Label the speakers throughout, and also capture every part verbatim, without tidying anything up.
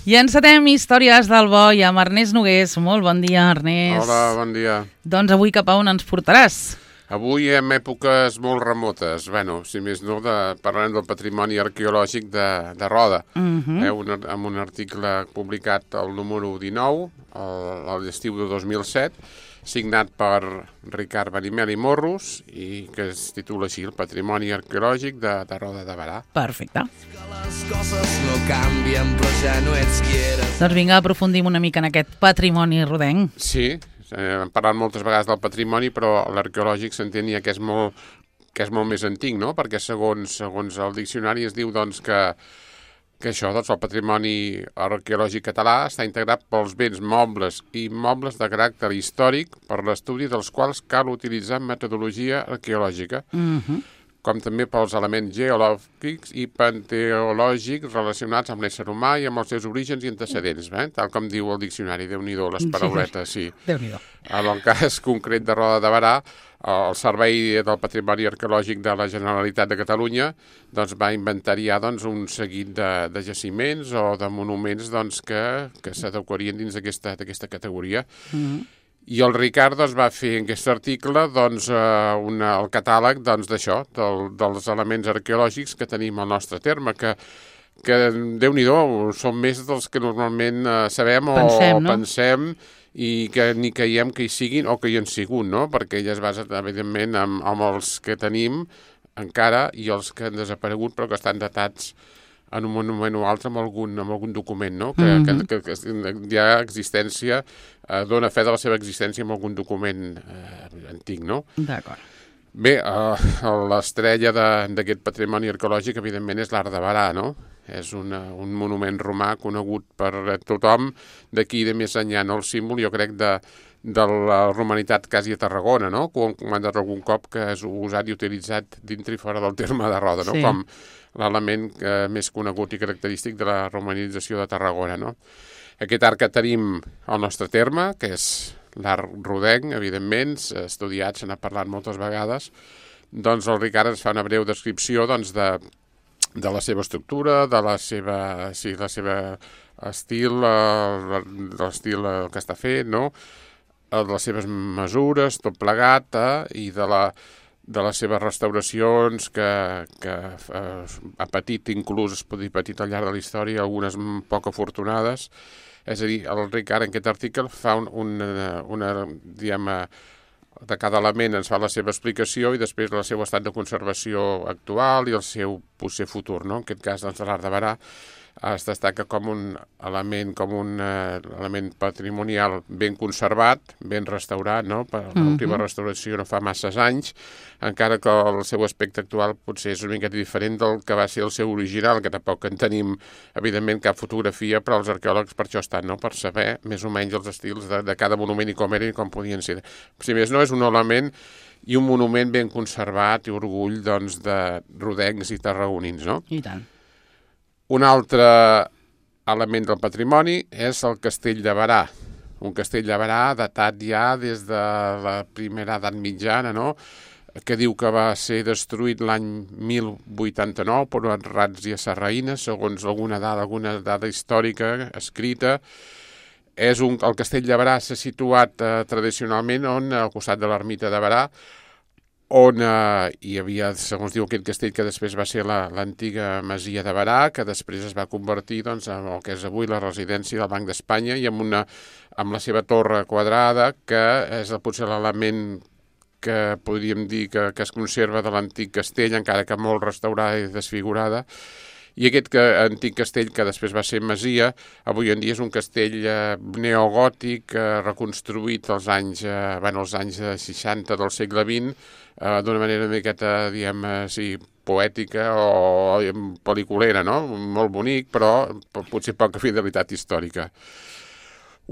Speaker 1: I encetem Històries del Bo i amb Ernest Nogués. Molt bon dia, Ernest.
Speaker 2: Hola, bon dia.
Speaker 1: Doncs avui cap a on ens portaràs?
Speaker 2: Avui en èpoques molt remotes, bueno, si més no, de, parlarem del patrimoni arqueològic de, de Roda, uh-huh. eh, un, amb un article publicat al número dinou, a l'estiu de dos mil set, signat per Ricard Benimel i Morros, i que es titula així, el patrimoni arqueològic de, de Roda de Berà.
Speaker 1: Perfecte.
Speaker 3: Les coses no canvien, però ja no ets qui eres.
Speaker 1: Doncs vinga, aprofundim una mica en aquest patrimoni rodenc.
Speaker 2: Sí, hem parlat moltes vegades del patrimoni, però l'arqueològic s'entenia que és molt, que és molt més antic, no? Perquè segons, segons el diccionari es diu doncs, que, que això, doncs, el patrimoni arqueològic català està integrat pels béns mobles i immobles de caràcter històric per l'estudi dels quals cal utilitzar metodologia arqueològica, uh-huh. com també pels elements geològics i panteològics relacionats amb l'ésser humà i amb els seus orígens i antecedents, eh? Tal com diu el diccionari, Déu-n'hi-do, les parauletes, sí.
Speaker 1: Déu-n'hi-do.
Speaker 2: En el cas concret de Roda de Berà, el Servei del Patrimoni Arqueològic de la Generalitat de Catalunya doncs, va inventariar doncs, un seguit de, de jaciments o de monuments doncs, que, que s'adequarien dins d'aquesta categoria. Mm-hmm. I el Ricard doncs, va fer en aquest article doncs, una, el catàleg doncs, d'això, del, dels elements arqueològics que tenim al nostre terme, que, que Déu-n'hi-do, són més dels que normalment eh, sabem o
Speaker 1: pensem, no?
Speaker 2: pensem i que ni creiem que hi siguin o que hi han sigut, no? Perquè ella es basa, evidentment, amb, amb els que tenim encara i els que han desaparegut però que estan datats en un monument o altre amb algun, amb algun document, no? Que, mm-hmm. que, que, que hi ha existència, eh, dona fe de la seva existència amb algun document eh, antic, no?
Speaker 1: D'acord.
Speaker 2: Bé, eh, l'estrella d'aquest patrimoni arqueològic, evidentment, és l'Arc de Berà, no? És una, un monument romà conegut per tothom d'aquí de més enllà, no? El símbol, jo crec, de, de la romanitat quasi a Tarragona, no? Que ho hem comentat algun cop que és usat i utilitzat dintre i fora del terme de Roda, no? Sí. Com l'element eh, més conegut i característic de la romanització de Tarragona, no? Aquest arc que tenim al nostre terme, que és l'arc rodenc, evidentment, estudiat, se n'ha parlat moltes vegades, doncs el Ricard ens fa una breu descripció doncs, de, de la seva estructura, de la seva, sí, la seva estil, eh, l'estil que està fet, no? De les seves mesures, tot plegat, eh? I de la... de les seves restauracions que, que eh, ha patit, inclús es pot dir patit al llarg de la història, algunes poc afortunades. És a dir, el Ricard en aquest article fa un, una, una, diguem, de cada element ens fa la seva explicació i després el seu estat de conservació actual i el seu potser futur, no? En aquest cas, doncs, l'Arc de Berà es destaca com un element, com un uh, element patrimonial ben conservat, ben restaurat, no? Per l'última mm-hmm. restauració no fa masses anys, encara que el seu aspecte actual potser és una mica diferent del que va ser el seu original, que tampoc en tenim, evidentment, cap fotografia, però els arqueòlegs per això estan, no? Per saber més o menys els estils de, de cada monument i com eren i com podien ser. Si més no, és un element i un monument ben conservat i orgull, doncs, de rodencs i tarragonins, no?
Speaker 1: I tant.
Speaker 2: Un altre element del patrimoni és el Castell de Berà, un castell de Berà datat ja des de la primera edat mitjana, no? Que diu que va ser destruït l'any mil vuitanta-nou per uns ràtzies sarraïnes, segons alguna dada, alguna dada històrica escrita. És un, el Castell de Berà s'ha situat eh, tradicionalment on, al costat de l'ermita de Berà, on eh, hi havia, segons diu, aquest castell que després va ser l'antiga masia de Berà, que després es va convertir doncs, en el que és avui la residència del Banc d'Espanya i amb, una, amb la seva torre quadrada, que és potser l'element que podríem dir que, que es conserva de l'antic castell, encara que molt restaurada i desfigurada. I aquest que, antic castell, que després va ser masia, avui en dia és un castell eh, neogòtic eh, reconstruït als anys, eh, bueno, als anys seixanta del segle vint, eh, d'una manera una miqueta, diguem, eh, sí, poètica o, o pel·liculera, no? Molt bonic, però potser poca fidelitat històrica.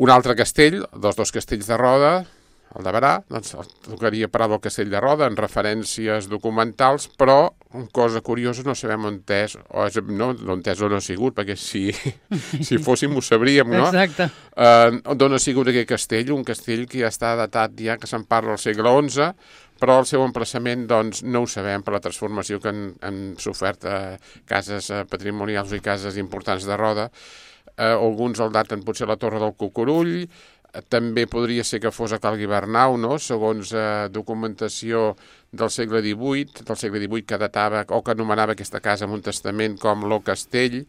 Speaker 2: Un altre castell, dels dos castells de Roda, el de Berà, doncs tocaria parlar del Castell de Roda en referències documentals, però una cosa curiosa, no sabem on és, o és, no, on és o no ha sigut, perquè si, si fóssim ho sabríem, no?
Speaker 1: Exacte.
Speaker 2: Eh, d'on ha sigut aquest castell? Un castell que ja està datat, ja que se'n parla al segle onze, però el seu emplaçament doncs, no ho sabem per la transformació que han, han sofert eh, cases eh, patrimonials i cases importants de Roda. eh, alguns el daten potser la Torre del Cucurull, eh, també podria ser que fos a Cal Guibernau, no? Segons eh, documentació del segle divuit, del segle divuit que datava o que anomenava aquesta casa amb un testament com Lo Castell,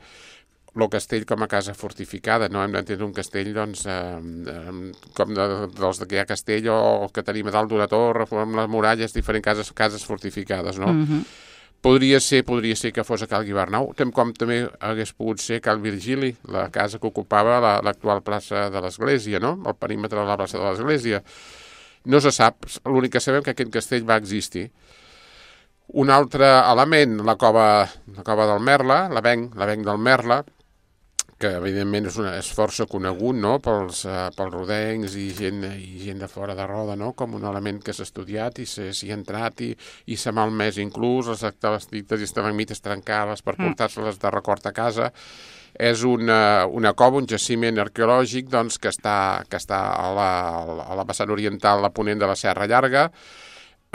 Speaker 2: Lo Castell com a casa fortificada, no? Hem d'entendre un castell, doncs, eh, com de, dels que hi ha castell o el que tenim a dalt d'una torre, amb les muralles, diferents cases, cases fortificades, no?
Speaker 1: Mhm.
Speaker 2: Podria ser, podria ser que fos a Cal Guibernau, com també hagués pogut ser Cal Virgili, la casa que ocupava la, l'actual plaça de l'Església, no? El perímetre de la plaça de l'Església. No se sap, l'únic que sabem que aquest castell va existir. Un altre element, la cova, la cova del Merla, l'avenc, l'avenc del Merla, que evidentment és, una, és força conegut, no? pels, uh, pels rodencs i gent, i gent de fora de Roda, no? Com un element que s'ha estudiat i s'hi ha entrat i, i s'ha malmès inclús, les estalactites i estalagmites trencades per portar-se-les de record a casa. És una, una cova, un jaciment arqueològic doncs, que està, que està a, la, a la vessant oriental, a ponent de la Serra Llarga.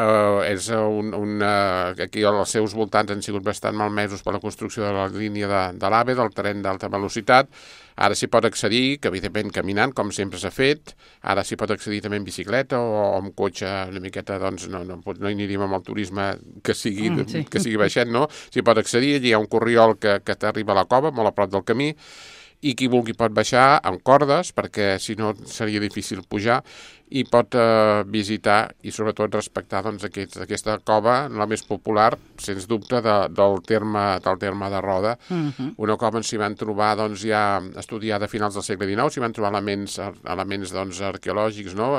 Speaker 2: Uh, és un, un, uh, aquí als seus voltants han sigut bastant malmesos per la construcció de la línia de, de l'AVE, del tren d'alta velocitat. Ara s'hi pot accedir, que evidentment caminant, com sempre s'ha fet. Ara s'hi pot accedir també en bicicleta o, o amb cotxe una miqueta, doncs no, no, no hi aniríem amb el turisme que sigui, mm, sí. que sigui baixet, no? S'hi pot accedir, allí hi ha un corriol que, que t'arriba a la cova, molt a prop del camí, i qui vulgui pot baixar amb cordes, perquè si no seria difícil pujar, i pot eh, visitar i sobretot respectar doncs, aquest, aquesta cova, la més popular, sens dubte, de, del, terme, del terme de Roda. Uh-huh. Una cova on s'hi van trobar doncs, ja estudiada a finals del segle dinou, s'hi van trobar elements, elements doncs, arqueològics, no?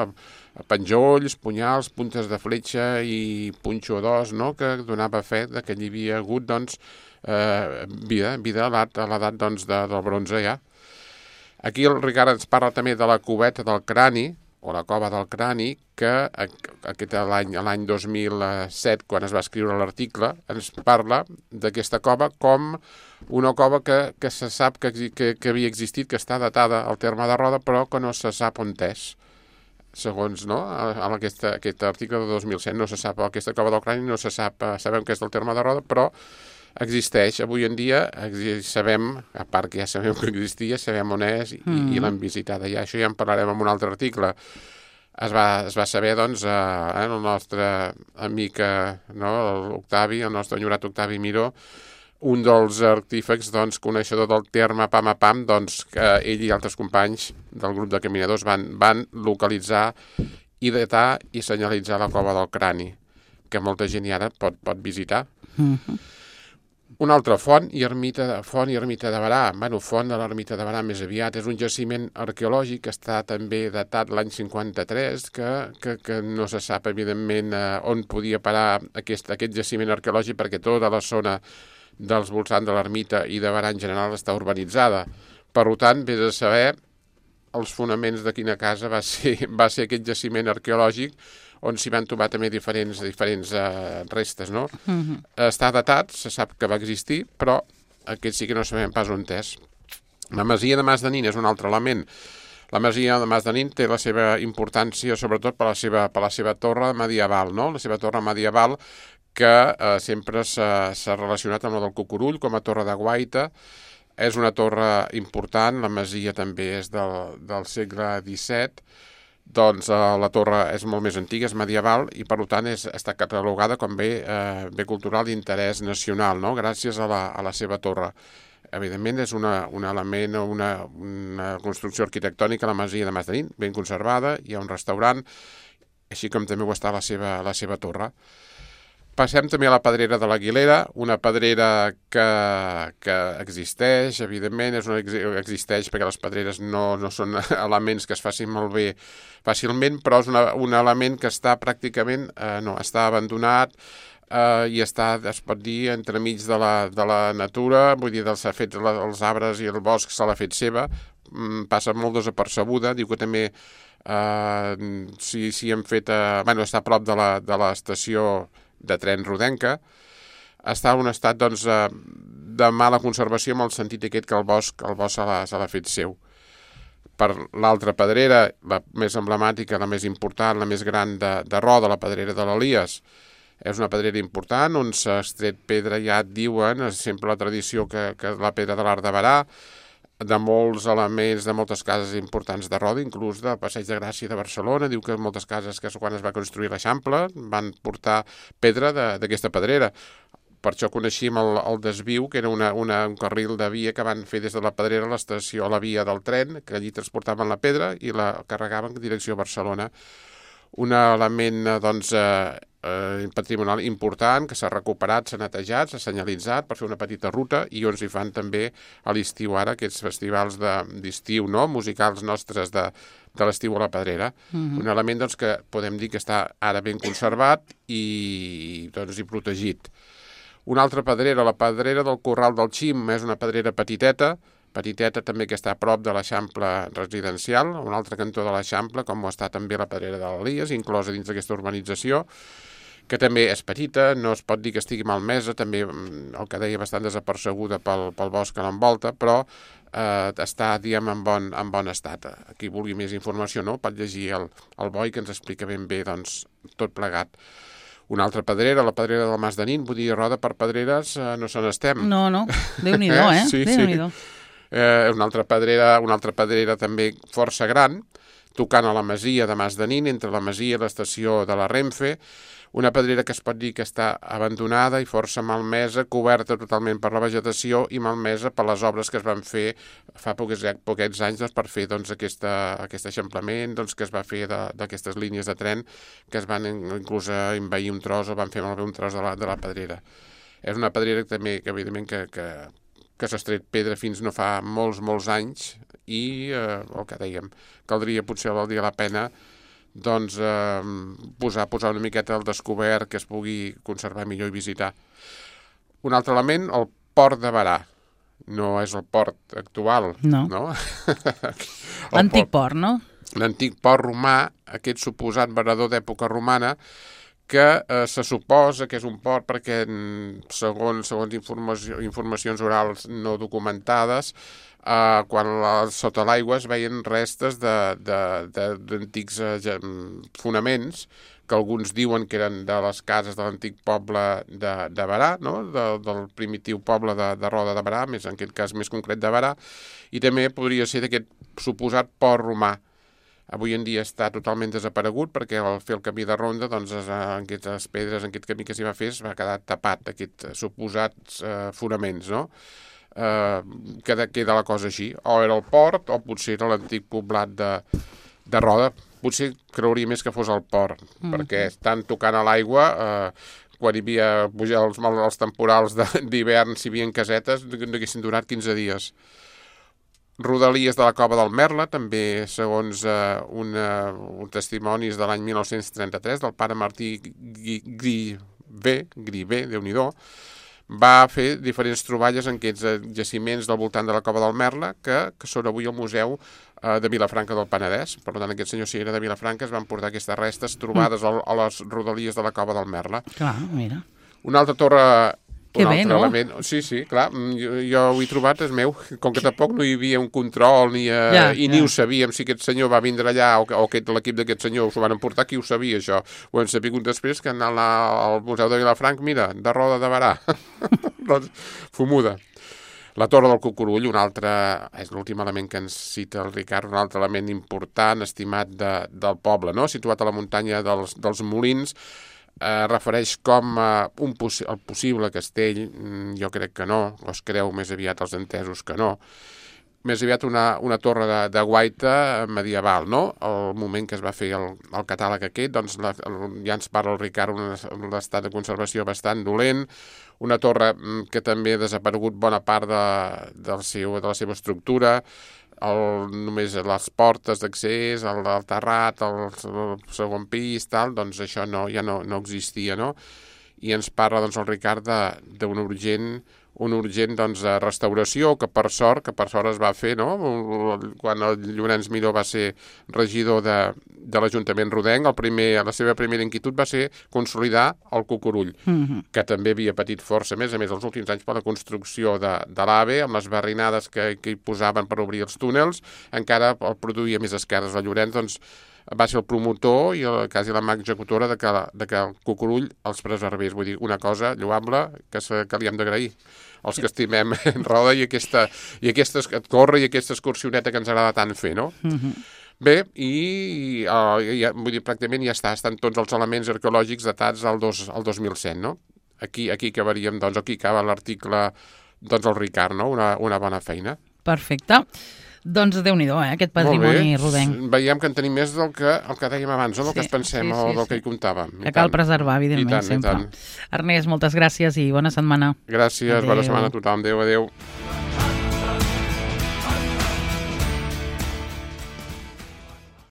Speaker 2: Penjolls, punyals, puntes de fletxa i punxo d'os, no? Que donava fe que hi havia hagut doncs, eh, vida, vida a l'edat doncs, de, del bronze ja. Aquí el Ricard ens parla també de la cubeta del crani, o la cova del crani, que aquest l'any l'any dos mil set, quan es va escriure l'article, ens parla d'aquesta cova com una cova que, que se sap que, que, que havia existit, que està datada al terme de Roda, però que no se sap on és. Segons no, en aquesta, aquest article de dos mil set no se sap, aquesta cova del crani no se sap, sabem que és del terme de Roda, però existeix. Avui en dia sabem, a part que ja sabem que existia, sabem on és i, mm. i l'hem visitada ja. Això ja en parlarem en un altre article. Es va, es va saber, doncs, eh, el nostre amic, no, l'Octavi, el nostre enyorat Octavi Miró, un dels artífecs, doncs, coneixedor del terme Pam a Pam, doncs, que ell i altres companys del grup de caminadors van, van localitzar i datar i senyalitzar la cova del crani, que molta gent ara pot, pot visitar. Mm-hmm. Una altra font i ermita, font i ermita de Barà. Bueno, font de l'ermita de Barà més aviat. És un jaciment arqueològic que està també datat l'any cinquanta-tres, que, que, que no se sap, evidentment, eh, on podia parar aquest, aquest jaciment arqueològic, perquè tota la zona dels voltants de l'ermita i de Barà en general està urbanitzada. Per tant, vés a saber els fonaments de quina casa va ser, va ser aquest jaciment arqueològic, on s'hi van trobar també diferents, diferents uh, restes, no? Uh-huh. Està datat, se sap que va existir, però aquest sí que no sabem pas on és. La masia de Mas de Nin és un altre element. La masia de Mas de Nin té la seva importància, sobretot per la seva, per la seva torre medieval, no? La seva torre medieval que eh, sempre s'ha relacionat amb la del Cucurull, com a torre de guaita. És una torre important, la masia també és del, del segle disset, doncs eh, la torre és molt més antiga, és medieval i per tant és, està catalogada com bé, eh, bé cultural d'interès nacional, no? Gràcies a la, a la seva torre. Evidentment és una, un element, una, una construcció arquitectònica, la masia de Mas de Nin, ben conservada, hi ha un restaurant, així com també ho està la seva, la seva torre. Passem també a la pedrera de l'Aguilera, una pedrera que, que existeix, evidentment, és una, existeix perquè les pedreres no, no són elements que es facin malbé fàcilment, però és una, un element que està pràcticament, eh, no, està abandonat eh, i està, es pot dir, entremig de la, de la natura, vull dir, s'ha fet la, els arbres i el bosc se l'ha fet seva, mm, passa molt desapercebuda, diu que també eh, si, si hem fet, eh, bueno, està a prop de la, de l'estació de tren rodenca, està en un estat doncs, de mala conservació en el sentit aquest que el bosc, el bosc se l'ha fet seu. Per l'altra pedrera, la més emblemàtica, la més important, la més gran de, de Roda, la pedrera de l'Elies, és una pedrera important on s'ha extret pedra, ja et diuen, és sempre la tradició que, que la pedra de l'Arc de Barà, de molts elements, de moltes cases importants de Roda, inclús del Passeig de Gràcia de Barcelona. Diu que moltes cases que quan es va construir l'Eixample van portar pedra d'aquesta pedrera. Per això coneixíem el, el desviu, que era una, una, un carril de via que van fer des de la Pedrera a l'estació, a la via del tren, que allí transportaven la pedra i la carregaven en direcció a Barcelona. Un element doncs, eh, eh, patrimonial important que s'ha recuperat, s'ha netejat, s'ha senyalitzat per fer una petita ruta i on s'hi fan també a l'estiu ara aquests festivals d'estiu, no? Musicals nostres de, de l'estiu a la Pedrera. Mm-hmm. Un element doncs, que podem dir que està ara ben conservat i, doncs, i protegit. Una altra pedrera, la pedrera del Corral del Xim, és una pedrera petiteta, petiteta també que està a prop de l'Eixample residencial, un altre cantó de l'Eixample, com ho està també la pedrera de l'Elies, inclosa dins d'aquesta urbanització, que també és petita, no es pot dir que estigui malmesa, també el que deia bastant desapercebuda pel, pel bosc que l'envolta, però eh, està, diguem, en bon, en bon estat. Qui vulgui més informació, no? Pot llegir el, el Boi, que ens explica ben bé doncs, tot plegat. Una altra pedrera, la pedrera del Mas de Nin, vull dir, Roda per pedreres eh, no se n'estem.
Speaker 1: No, no, Déu-n'hi-do, eh?
Speaker 2: Sí,
Speaker 1: Déu-n'hi-do.
Speaker 2: Sí. Eh, una altra pedrera, una altra pedrera també força gran, tocant a la masia de Mas de Nin, entre la masia i l'estació de la Renfe, una pedrera que es pot dir que està abandonada i força malmesa, coberta totalment per la vegetació i malmesa per les obres que es van fer fa poques, poquets anys doncs, per fer doncs, aquesta, aquest eixamplament doncs, que es va fer d'aquestes línies de tren que es van inclús envair un tros o van fer malbé un tros de la, de la pedrera. És una pedrera que també, que evidentment, que, que, que s'ha estret pedra fins no fa molts, molts anys i, eh, el que dèiem, caldria, potser valdria la pena doncs eh, posar, posar una miqueta al descobert que es pugui conservar millor i visitar. Un altre element, el port de Berà. No és el port actual,
Speaker 1: no?
Speaker 2: no?
Speaker 1: L'antic port, port, no?
Speaker 2: L'antic port romà, aquest suposat verador d'època romana, que eh, se suposa que és un port perquè, segons, segons informació, informacions orals no documentades, Uh, quan la, sota l'aigua es veien restes d'antics uh, fonaments que alguns diuen que eren de les cases de l'antic poble de, de Berà, no? de, del primitiu poble de, de Roda de Berà, més en aquest cas més concret de Berà, i també podria ser d'aquest suposat port romà. Avui en dia està totalment desaparegut perquè al fer el camí de ronda, doncs, en aquestes pedres, en aquest camí que s'hi va fer, es va quedar tapat d'aquests suposats uh, fonaments, no? Uh, queda, queda la cosa així. O era el port o potser era l'antic poblat de, de Roda. Potser creuria més que fos el port, mm. perquè estan tocant a l'aigua, uh, quan hi havia pujar els, els temporals d'hivern, si hi havia casetes, n'haguessin durat quinze dies. Rodalies de la Cova del Merla, també segons uh, una, un testimonis de l'any mil nou-cents trenta-tres del pare Martí Grivé, Grivé, Déu-n'hi-do, va fer diferents troballes en aquests jaciments del voltant de la Cova del Merla que, que són avui al Museu eh, de Vilafranca del Penedès. Per tant, aquest senyor, si era de Vilafranca, es van portar aquestes restes trobades mm. a, a les rodalies de la Cova del Merla.
Speaker 1: Clar, mira.
Speaker 2: Una altra torre...
Speaker 1: Que
Speaker 2: un
Speaker 1: bé,
Speaker 2: altre
Speaker 1: no?
Speaker 2: Element. Sí, sí, clar, jo, jo ho he trobat, és meu. Com que tampoc no hi havia un control ni, uh,
Speaker 1: ja,
Speaker 2: i
Speaker 1: ja.
Speaker 2: ni ho sabíem si aquest senyor va vindre allà o, o aquest, l'equip d'aquest senyor s'ho van emportar, qui ho sabia, això. Ho hem sabut després que anar al Museu de Vilafranca, mira, de Roda de Berà. Doncs, fumuda. La Torre del Cucurull, un altre, és l'últim element que ens cita el Ricard, un altre element important, estimat de, del poble, no? Situat a la muntanya dels, dels Molins, eh, refereix com eh, un possi el possible castell, jo crec que no, o es creu més aviat els entesos que no, més aviat una, una torre de, de guaita medieval, no? El moment que es va fer el, el catàleg aquest, doncs la, el, ja ens parla el Ricard, un, un estat de conservació bastant dolent, una torre que també ha desaparegut bona part de, del seu, de la seva estructura, el, només les portes d'accés, el, el terrat, el, el segon pis, tal, doncs això no, ja no, no existia, no? I ens parla doncs, el Ricard d'una urgent, una urgent doncs, restauració que per sort que per sort es va fer, no? Quan el Llorenç Miró va ser regidor de, de l'Ajuntament rodenc, el primer, la seva primera inquietud va ser consolidar el Cucurull, mm-hmm. que també havia patit força, a més a més, els últims anys per la construcció de, de l'AVE, amb les barrinades que, que hi posaven per obrir els túnels, encara el produïa més esquerdes. El Llorenç, doncs, va ser el promotor i el, quasi la mà executora de que, de que el Cucurull els preservés. Vull dir, una cosa lloable que, se, que li hem d'agrair. els que estimem en roda i aquesta, i aquesta córrer i aquesta excursioneta que ens agrada tant fer, no? Uh-huh. Bé, i uh, ja, vull dir, pràcticament ja està, estan tots els elements arqueològics datats al, dos, al dos mil set, no? Aquí, aquí acabaríem, doncs, aquí acaba l'article, doncs, el Ricard, no? Una, una bona feina.
Speaker 1: Perfecte. Doncs Déu-n'hi-do, eh, aquest patrimoni rodenc.
Speaker 2: Veiem que en tenim més del que, el que dèiem abans, no? Del sí, que es pensem sí, sí, o del sí. que hi comptàvem.
Speaker 1: Que cal preservar, evidentment, I tant, sempre. I tant. Ernest, moltes gràcies i bona setmana.
Speaker 2: Gràcies, adéu. Bona setmana a tothom. Adéu, adéu.